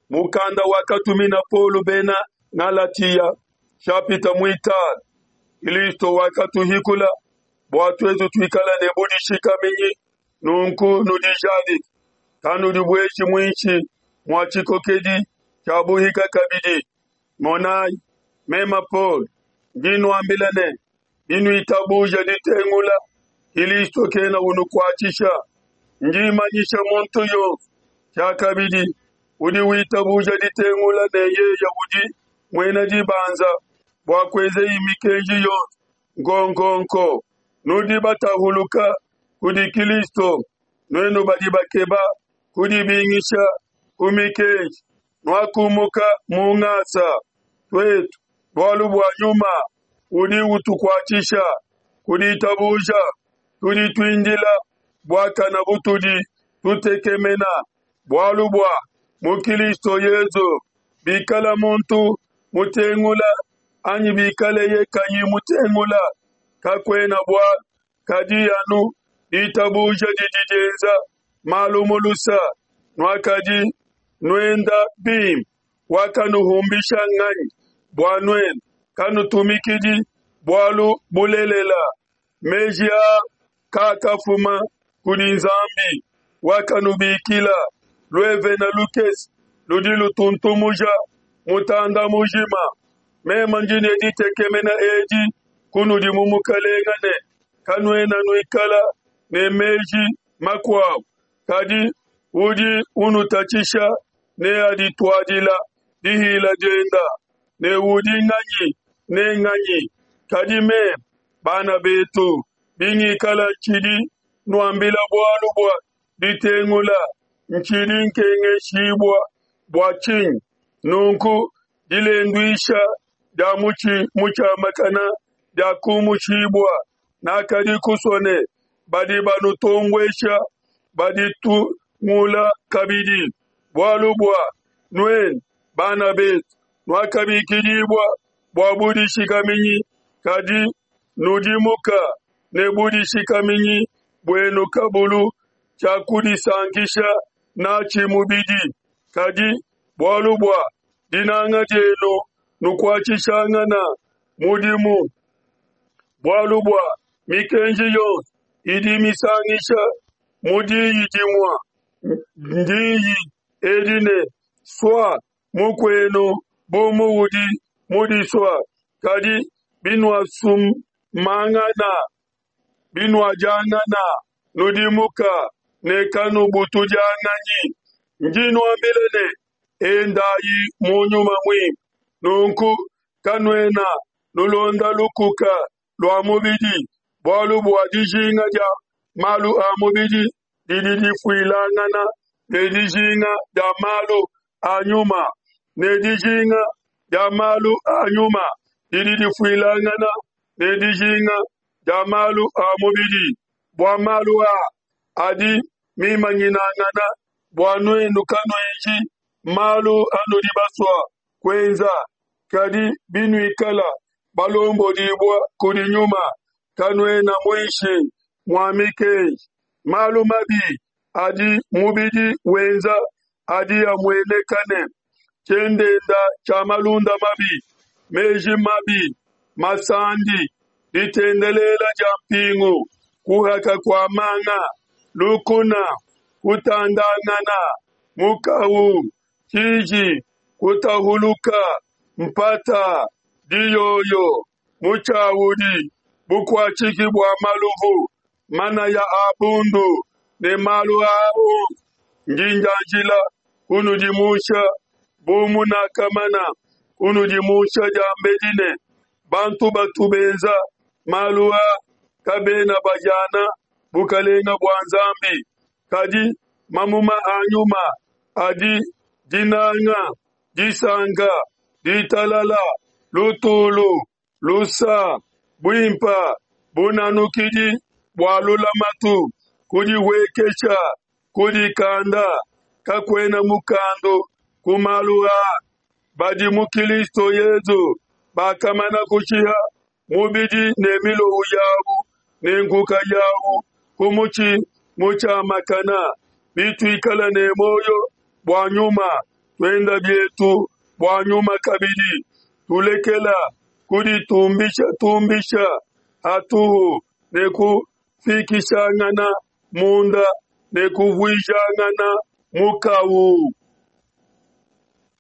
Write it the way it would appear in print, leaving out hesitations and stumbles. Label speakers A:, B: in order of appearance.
A: Mukanda wakatumina Paulo bena Galatia, nshapita muitanu. Kristo wakatuhikula bua tuetu tuikale ne budishikaminyi, nunku nudijadike, kanudibueshi muinshi mua tshikokedi tshia buhika kabidi. Monayi, meme Paulo, ndi nuambila ne, binuitabuja ditengula, Kristo kena unukuatshisha. Ndi manyisha muntu yonso tshiakabidi udi witabuja ditengula ne yeye udi muena dibanza bua kuenzeyi mikenji yonso nkonkonko. Nudi batahuluka kudi Kristo, nuenu badi bakeba kudibingisha ku mikenji, nuakumuka mu ngasa. Tuetu, bualu bua nyuma udi utukuatshisha ku ditabuja, tudi tuindila buakana butudi tutekemena bualu bua mu Kristo Yezu. Bikala muntu mutengula anyi bikaleye kayi mutengula, kakuena bualu, kadi anu ditabuja didi dienza malu mu lusa. Nuakadi nuenda bimpe, wakanuhumbisha nganyi bua nuenu kanutumikidi bualu bulelela? Meji aa kaakafuma kudi Nzambi wakanubikila. Luevena lukese ludi lutuntumuja mutanda mujima. Meme ndi ne ditekemena edi kunudi mu Mukalenga ne, kanuena nuikala ne meji makuabu, kadi udi unutatshisha neadituadila dihila dienda, ne udi nganyi ne nganyi. Kadi meme, bana betu, bingikala ntshidi nuambila bualu bua ditengula, ntshidi nkengeshibua bua tshinyi? Nunku dilenduisha dia mutshi mutshiamakana diakumushibua. Nakadi kusua ne badi banutombuesha baditungula kabidi, bualu bua nuenu, bana betu, nuakabikidibua bua budishikaminyi, kadi nudimuka ne budishikaminyi buenu kabulu tshia kudisankisha natshi mubidi, kadi bualu bua dinanga dienu nukuatshishangana mudimu. Bualu bua mikenji yonso idi misangisha mu diyi dimue, ndiyi edi ne, Sua mukuenu bu muudi mudisua. Kadi binuasumangana, binuadiangana, nudimuka ne kanubutudianganyi. Ndi nuambila ne, endayi mu nyuma muimpe, nunku kanuena nulonda lukuka lua mubidi, bualu bua dijinga dia malu a mubidi didi difuilangana ne dijinga dia malu a nyuma, ne dijinga dia malu a nyuma didi difuilangana ne dijinga dia malu a mubidi. Bua malu aa adi mimanyinangana, bua nuenu kanuenji malu anudi basua kuenza. Kadi binuikala balombodibua kudi nyuma, kanuena muinshi mua mikenji. Malu mabi adi mubidi wenza adi amueneka ne, tshiendenda tshia malunda mabi, meji mabi, masandi, ditendelela dia mpingu, kuhaka kua manga, lukuna, kutandangana, mukawu, tshiji, kutahuluka, mpata, diyoyo, mutshiawudi, bukuatshiki bua maluvu, manaya a bundu ne malu aa onso. Ndi ndianjila kunudimusha bu munakamana kunudimusha diambedi ne, bantu batu benza malu aa kabena bahiana bukelenge bua Nzambi. Kadi mamuma a nyuma adi dinanga, disanka, ditalala, lutulu, lusa, buimpa, bunanukidi bua lulamatu, kudihuekesha, kudikanda. Kakuena mukandu ku malu aa. Badi mu Kilisto Yezu bakamana kushiha mubidi ne milowu yawu ne nkuka yawu ku mutshi mutshiamakana. Bituikala ne muoyo bua nyuma, Tuenda bietu bua Nyuma kabidi, tulekela kuditumbishatumbisha hatuhu ne kufikishangana munda ne kuvuijangana mukawu.